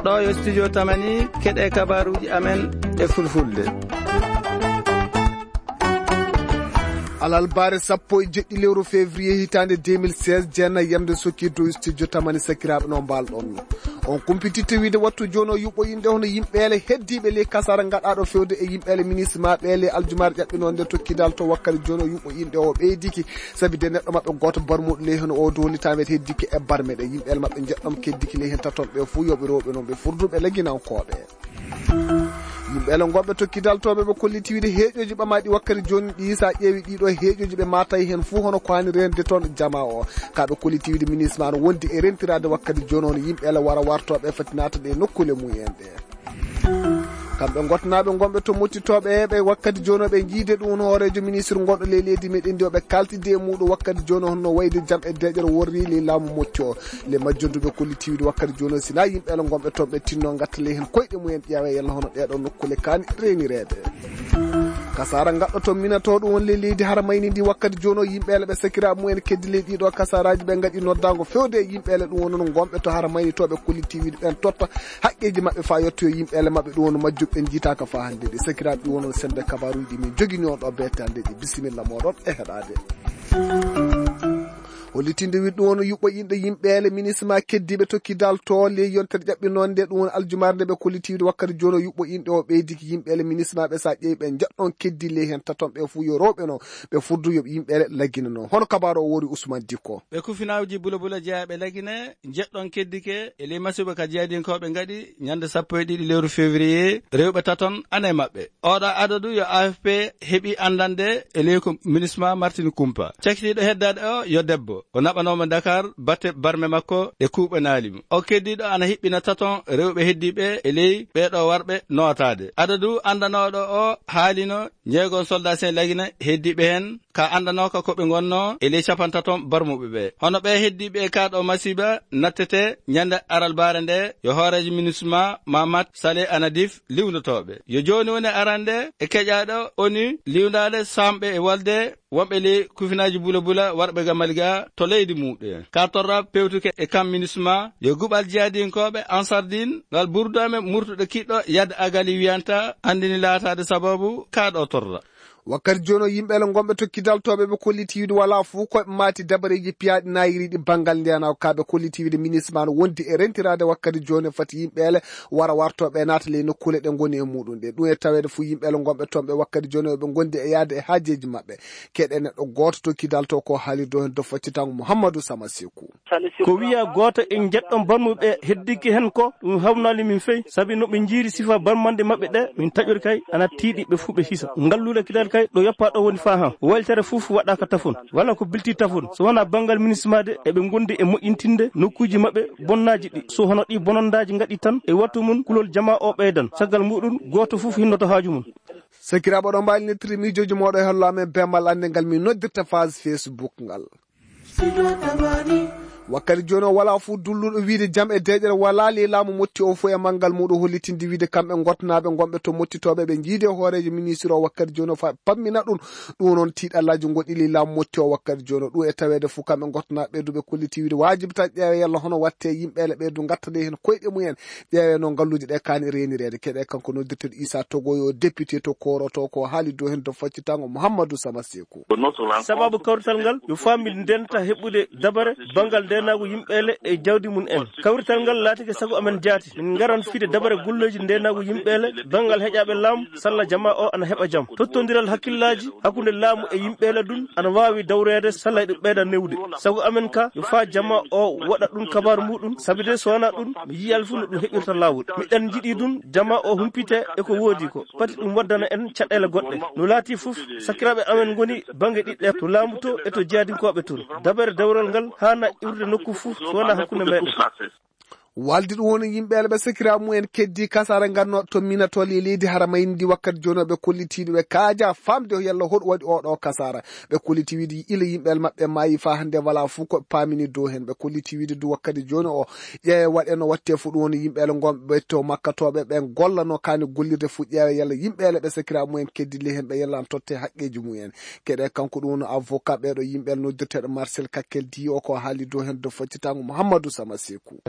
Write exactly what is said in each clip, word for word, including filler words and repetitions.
Ɗo yo studio Tamani, keɗe kabaruuji amen e fulfulde. Alalbaare sappo e jeɗɗi lewru février hitaande deux mille seize, jeenay yamde sokki dow studio Tamani, sakiraaɓe, no mbaal ɗon. On kumpititte wiide wattu jooni o yuɓɓo inɗe hono yimɓeele heddiiɓe ley kasaara ngaɗaaɗo fewde e yimɓeele ministre ma ɓeele aljumaare ƴaɓɓinoonde tokkidal to wakkati jooni o yuɓɓo inɗe o ɓeydiki. Sabi de neɗɗo maɓɓe gooto barmuɗo ley heno o doolitaɓe heddike e barme ɗe. Yimɓe maɓɓe jeɗɗon keddiki ley hen taton ɓe fuu yoɓe rewɓe noon ɓe furduɓe laginankooɓe. Yimɓe ele ngonɓe tokkidal to ɓe ɓe kolliti wiide heeƴoji ɓamaɗi wakkati jooni ɗi, sa ƴeewi ɗiɗo heeƴoji ɓe matay hen fuu hono ko hani rende toon jama o. Ka ɓe kolliti wiide ministre ma no wondi e rentirade wakkati jooni hono yimɓe ele wara wartoɓe fati natade e nokkule mumen ɗe. Kamɓe gotnaaɓe gonɓe to mottitooɓe ɓe wakkati jooni ɓe jiide ɗum hooreejo ministre gonɗo ley leydi meɗen ndi oɓe kaltide e muɗum wakkati jooni honno wayde jam e deƴere worri ley laamu motti o. Le majjonduɓe kollitiiwde wakkati jooni sina yimɓe ala gonɓe toon ɓe tinno gatta ley heen koyɗe mumen ƴeewa yalla hono ɗeɗo nokkule kaani reenireede. Kasaara ngaɗɗo to minato ɗum won ley leydi hara mayni ndi wakkati jooni yimɓe ala ɓe sakiraaɓe mumen keddi ley ɗiɗo kasaaraaji ɓe ngaɗi noddaango fewde e yimɓe ala ɗum won gonɓe to hara mayni to ɓe kollitiiwde ɓen totta haqqeeji maɓɓe faa yettoyo yimɓe ele maɓɓe ɗum woni majjuɓe ɓen jiitaaka faa hannde ɗi sakiraaɓe ɗum woni sennde kabaaruuji min jogini on ɗo beete hannde ɗi bisimilla mooɗon e heɗaade. Hollitinde wiɗ ɗum woni yuɓɓo inɗe yimɓe ele ministre ma keddiiɓe tokkidal to ley yontere ƴaɓɓinoonde ɗum woni aljumaare nde ɓe kollitiiwde wakkati jooni o yuɓɓo inɗe o ɓeydiki yimɓe ele ministre maɓe sa ƴeewi ɓe jeɗɗon keddi ley heen taton ɓe fuu yo rewɓe no ɓe fuddu yoɓe yimɓe ele laggina noon hono kabaaru o wori Ousmane Dikko. Ɓe kufinaaji bula bula jeyaɓe lagine jeɗɗon keddike e ley masiba ka jeyadinkooɓe ngaɗi ñande sappo e ɗiɗi lewru février rewɓe taton ana e maɓɓe. Oɗo adadu yo A F P heɓi anndande e ley ko minisma Martini Kumpa. Cakitiiɗo heddaade o yo debbo. O naɓanooma Dakar batte barme makko ɗe kuuɓanaali mo. O keddiiɗo ana hiɓɓina taton rewɓe heddiiɓe e ley ɓeeɗo warɓe nootaade. Adadu anndanooɗo o haalino jeegon soldat sen lagina heddiiɓe heen ka anndanooka ko ɓe ngonnoo e ley capantaton barmuɓe ɓe. Hono ɓe heddiiɓe e kaa ɗoo masiiba nattete ñande aralbaare nde yo hooreejo minisma Mamat Saleh Anadif liwndotooɓe. Yo jooni woni arande e keƴaaɗo O N U liwndaade saamɓe e walde wonɓe ley kufinaaji bula bula warɓe ga Mali ga to leydi muɓɓe. Ka torra pewtuke e kam minisma yo guɓal jihadinkooɓe Ansardin ngal burdaame murtuɗo kiɗɗo yadde agali wiyanta anndini laataade sababu kaa ɗoo torra. Wakkati jooni o yimɓe ele gonɓe tokkidal toɓe ɓe kolliti wiide wala fof koɓe maati dabareeji piyaaɗi nayiriiɗi banngal ndeyanaago ka ɓe kolliti wiide ministre ma no wondi e rentiraade wakkati jooni fati yimɓe ele wara wartoɓe naata ley nokkuule ɗe ngoni e muɗum ɗe ɗum e taweede fof yimɓe ele gonɓe toon ɓe wakkati jooni o ɓe gondi e yaade e haajeeji maɓɓe. Keɗe neɗɗo gooto tokkidal to ko haalirdo heen do faccitango Mouhamadou Sama Sekou. Ko wiya gooto e jeɗɗon barmuɓe heddike hen ko ɗum hawnaali min fey sabi no ɓe jiiri sifa barmande maɓɓe ɗe min taƴori kay ana tiiɗi ɓe fuu ɓe hisa ngalluule kidal kay ɗo yoppa ɗo woni faa han waylitere fof waɗaka tafon wala ko bilti tafon so wona banngal minisma de eɓe gondi e moƴƴintinde nokkuuji maɓɓe bonnaaji ɗi so hono ɗi bonondaaji ngaɗi tan e wattu mum kulol jama o ɓeydan caggal muɗum gooto fof hinnoto haaju mum. Sakiraaɓe oɗon mbaawi nettirde miijooji mooɗon e hello amen bemmal annde ngal min noddirta phase Facebook ngal. Wakkati jooni o wala fof dulluɗo wiide jam e deeƴere wala ley laamu motti o fof e manngal muɗum hollitinde wiide kamɓe gotnaaɓe gonɓe to mottitooɓe ɓe jiidi e hooreejo ministre o wakkati jooni o fa pammina ɗum. Ɗum noon tiiɗallaaji goɗɗi ley laamu motti o wakkati jooni o ɗum e taweede fof kamɓe gotnaaɓe ɓe duɓe kolliti wiide waajibi tan ƴeewe yalla hono watte yimɓe ele ɓe du gattade heen koyɗe mumen. Ƴeewe noon ngalluuje ɗe kaani reenireede keɗe kanko noddirteɗo Issa Togoyo député to koroto ko haali dow heen to faccitango Mouhamadou Sama Sekou. Sababu kawrital ngal yo faami ndenta heɓude dabare banngal ndenaagu yimɓeele e jawdi mum en. Kawrital ngal laatike sago amen jaati min ngaran fiide dabare golleeji ndenaagu yimɓeele banngal heƴaaɓe laamu salla jama o ana heɓa jam tottondiral hakkillaaji hakkunde laamu e yimɓeele ɗum ana waawi dawreede salla eɗum ɓeyda newde. Sago amen ka yo faa jama o waɗa ɗum kabaaru muɗum sabi de so wonaa ɗum mi yiyal fof no ɗum heɓirta laawol miɗen njiɗi ɗum jama o humpite e ko woodi ko pati ɗum waddana en caɗeele goɗɗe no laati fof sakiraaɓe amen ngoni bannge ɗiɗɗe to laamu to e to jeyadinkooɓe toon. Dabere dawrol ngal haana iwrude nokku fof so wonaa hakkunde meɗen. Waldi ɗum woni yimɓe ele ɓe sakiraaɓe mumen keddi kasaara ngannooɓe to Mina to le-, leydi Haramayndi wakkati jooni o ɓe kolliti ɗum ɓe kaaja famde yalla hoɗum waɗi oo ɗoo kasaara. Ɓe kolliti wiide ila yimɓe ele maɓɓe maayi faa hannde walaa fof ko ɓe paamini dow heen. Ɓe kolliti wiide du wakkati jooni o ƴeewe waɗe no watte fof ɗum woni yimɓe ele ngon ɓe to makkatooɓe ɓen gollano kaani gollirde fof ƴeewe yalla yimɓe ele ɓe sakiraaɓe mumen keddi le heen ɓe yalla totte haqqeeji mumen. Keɗe kanko ɗum woni avocat ɓeeɗo yimɓe noddirteeɗo Marcel Kakkel Di o ko haali dow heen dow foccitaango Mouhamadou Sama Sekou.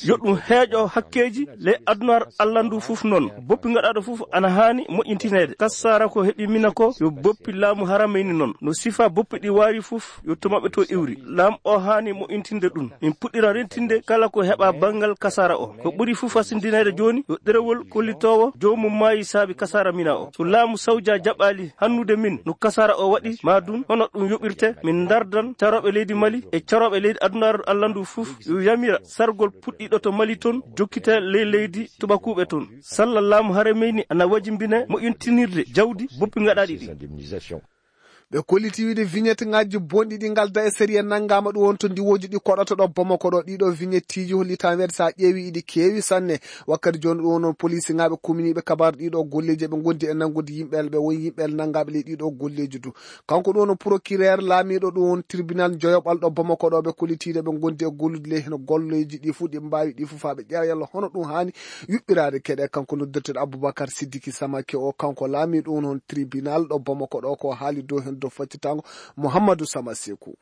Yo ɗum heeƴo hakkeeji ley adunaaru Allah ndu fof noon. Boppi ngaɗaaɗo fof ana haani moƴƴintineede. Kasaara ko heɓi Mina ko yo boppi laamu Haramayni noon. No sifa boppi ɗi waari fof yo to maɓɓe to iwri. Laamu o haani moƴƴintinde ɗum. Min puɗɗira rentinde kala ko heɓa banngal kasaara o. Ko ɓuri fof fasindineede jooni yo ɗerewol kollitoowo joomum maayi saabi kasaara Mina o. So laamu Sawja jaɓaali hannude min no kasaara o waɗi, maa dun hono ɗum yoɓirte, min ndardan carooɓe leydi Mali e carooɓe leydi adunaaru Allah ndu fof yo yamira sargol puɗɗiiɗo to Mali toon, jokkita ley leydi tubakuuɓe toon. Salla laamu Haramayni ana wajimbine moƴƴintinirde jawdi boppi ngaɗaaɗi ɗi. Ɓe kolliti wiide vignette ŋaaji bonɗi ɗi ngalda e sariya nanngaama ɗum won to ndiwooji ɗi koɗata ɗo Bamako ɗo. Ɗiɗo vignetteeji hollitaa weeɗde so a ƴeewi iɗi keewi sanne. Wakkati jooni ɗum won police ŋaaɓe kuminiiɓe kabaaru ɗiɗo golleeji ɓe ngondi e nanngude yimɓe ɓe won yimɓe nanngaaɓe ley ɗiɗo golleeji du. Kanko ɗum won procureur laamiiɗo ɗum won tribunal joyoɓal ɗo Bamako ɗo ɓe kollitiiɗo ɓe ngondi e gollude ley heno golleeji ɗi fof ɗi mbaawi ɗi fof faa ɓe ƴeewa yalla hono ɗum haani yuɓɓiraade keɗe. Kanko noddirteeɗo Aboubacar Sidiki Samake o, kanko laamiiɗo on hon tribunal ɗo Bamako ɗo, ko haali dow heen dow faccitaango Mouhamadou Sama Sekou.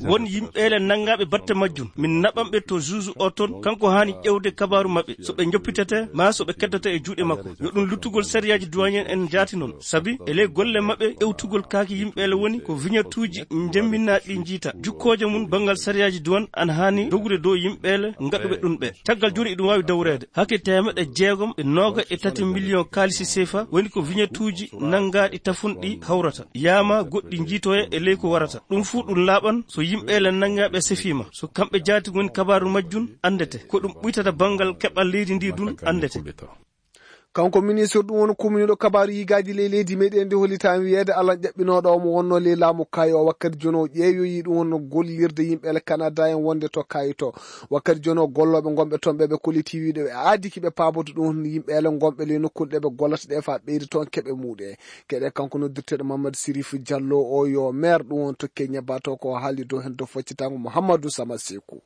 Won yimɓe ele nanngaaɓe batte majjum. Min naɓan ɓe to juge o toon, kanko haani ƴeewde kabaaru maɓɓe. So ɓe njoppitete, maa so ɓe keddata e juuɗe makko. Yo ɗum luttugol sariyaaji douanier en jaati noon. Sabi, e ley golle maɓɓe, ƴeewtugol kaaki yimɓe ele woni ko vignettuuji njemminaaɗi ɗi njiita. Jukkooje mum banngal sariyaaji douane ana haani dogude dow yimɓe ele ngaɗuɓe ɗum ɓe. Caggal jooni eɗum waawi dawreede. Hakke teemeɗɗe jeegom e nooga e tati miliyon kaalisi seefa woni ko vignettuuji nanngaaɗi tafunɗi hawrata. Yaama goɗɗi njiitoya e ley ko warata. Ɗum fuu ɗum laaɓan so yimɓe ele nanngaaɓe sefiima. So kamɓe jaati ngoni kabaaru majjum anndete. Ko ɗum ɓuytata banngal keɓal leydi ndi ɗum anndete. Kanko ministre ɗum woni kumniiɗo kabaaru yigaaji ley leydi meɗen ndi hollitaa wiyeede Alan ƴaɓɓinooɗo omo wonnoo ley laamu kaayi o wakkati jooni o ƴeewoyi ɗum wonno gollirde yimɓe ele Canada en wonde to kaayi to. Wakkati jooni o gollooɓe ngonɓe toon ɓe ɓe kolliti wiide ɓe aadiki ɓe paaboto ɗum won yimɓe ele ngonɓe ley nokkuɗe ɗe ɓe gollata ɗe faa ɓeyda toon keɓe muuɗe. Keɗe kanko noddirteeɗo Mamadou Sirif Diallo o yo maire ɗum won to Kenya Bato ko haali dow heen dow foccitaango Mouhamadou Sama Sekou.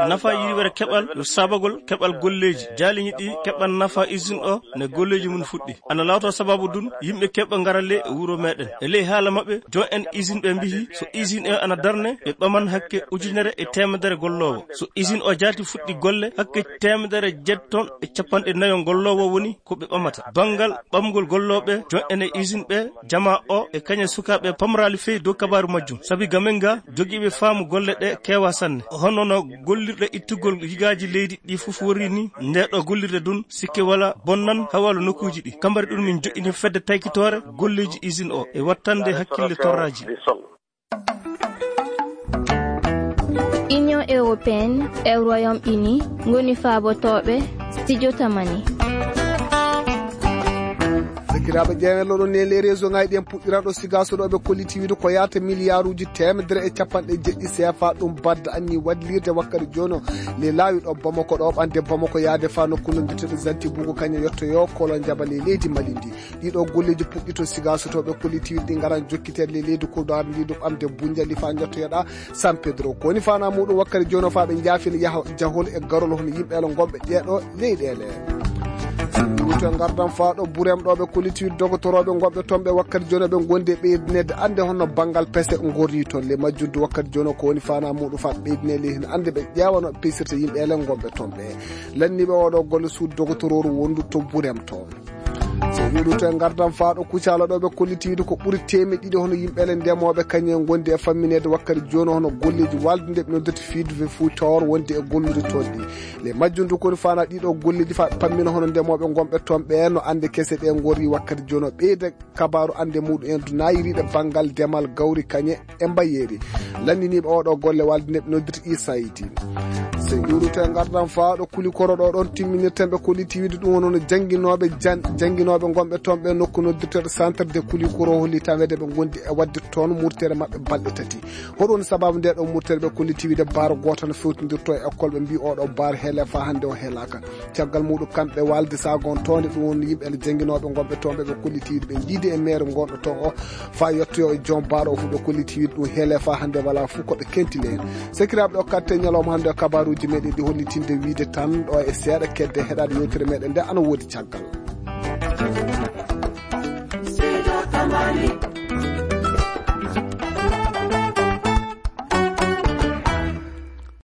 Nafa yiriwere keɓal yo sabagol keɓal golleeji. Jaaliŋi ɗi keɓan nafa usine o ne golleeji mum fuɗɗi. Ana lawto sababu dun yimɓe keɓa ngara le wuro meɗen. E ley haala maɓɓe, jon en usine ɓe mbihi so usine o ana darne, ɓe ɓaman hakke ujunere e teemedere golloowo. So usine o jaati fuɗɗi golle, hakke teemedere jeɗɗon e cappanɗe nayo golloowo woni ko ɓe ɓamata. Banngal ɓamgol gollooɓe, jon en e usine ɓe, jama o e kañe sukaaɓe pamraali fey dow kabaaru majjum. Sabi gamen ga jogiiɓe faamu golle ɗe keewa sanne. Hono no gollirɗe ittugol yigaaji leydi ɗi fof worri ni, nde ɗo gollirde dun sikke wala bonnan hawalo nokkuuji ɗi. Kambari ɗum min joɗɗini fedde taykitoore golleeji usine o e wattande hakkille torraaji. Union européenne e Royaume-Uni ngoni faabotooɓe studio Tamani. Sakiraaɓe ƴeewen loɗon ne les réseau ngaji ɗen puɗɗiranɗo sigaso ɗo ɓe kolliti wiide ko yaata miliyaaruuji teemedere e cappanɗe jeɗɗi C F A ɗum badda anni waɗlirde wakkati jooni o le laawi ɗo Bamako ɗo ɓande Bamako yaade faa nokku noddirteeɗo Zanti Bugu kañum yettoyo kolo njaba le leydi Mali ndi. Ɗiɗo golleeji puɗɗi to sigaso to ɓe kolliti wiide ɗi ngaran jokkiteede le leydi Kodowar ndi ɗum ɓamde Bunjali faa njottoyoɗa San Pedro. Ko woni faanaa muɗum wakkati jooni o faa ɓe njaafina yaha jahol e garol hono yimɓe ele ngonɓe ɗeeɗo leyɗeele. Wuto ngardan faa ɗo Burem ɗo ɓe kolliti wiide dogotorooɓe ngonɓe toon ɓe wakkati jooni ɓe ngondi e ɓeydineede annde hono banngal pese ngorri toon. Le majjuddu wakkati jooni o ko woni faanaa muɗum faa ɓeydinee le hino annde ɓe ƴeewano pesirta yimɓe ele ngonɓe toon ɓe. Lanniiɓe oɗo golle suudu dogotorooru wondu to Burem toon. So wiɗu to e ngardan faa ɗo Kucala ɗo ɓe kolliti wiide ko ɓuri teemeɗɗe ɗiɗi hono yimɓe ele ndemooɓe kañum en ngondi e fammineede wakkati jooni hono golleeji walde nde ɓe noddata fiidude fuutoor wonde e gollude toon ɗi. Le majjum du ko woni faanaa ɗiɗo golleeji faa ɓe pammina hono ndemooɓe ngonɓe toon ɓe no annde kese ɗe ngorri wakkati jooni o ɓeyda kabaaru annde muɗum en du naayiriiɗe banngal demal gawri kañe e mbayeeri. Lanndiniiɓe oɗo golle walde nde ɓe noddirta I S A I T. So ƴuuruto e ngardan faa ɗo kuli koro ɗo ɗon timminirten ɓe kolliti wiide ɗum woni hono jannginooɓe jan-, jannginooɓe Nooɓe gonɓe toon ɓe nokku noddirteeɗo Centre de Koulikoro holli taweede ɓe ngondi e waɗde toon murtere maɓɓe balɗe tati. Hoɗum sababu nde ɗo murtere ɓe kolliti wiide baaro gooto no fewtindirto e école ɓe mbi oɗo baaro heele faa hannde o heelaaka. Caggal muɗum kamɓe walde sagon toonde ɗum woni yimɓe ene jannginooɓe gonɓe toon ɓe ɓe kolliti wiide ɓe jiidi e maire gonɗo toon o faa yettoyo e joom baaro o fof ɓe kolliti wiide ɗum heele faa hannde wala fof ko ɓe kentile heen. Sekiraaɓe ɗo katte ñalawma hannde o kabaruuji meɗen ɗi hollitinde wiide tan ɗo e seeɗa kedde heɗaade yewtere meɗen nde ana woodi caggal.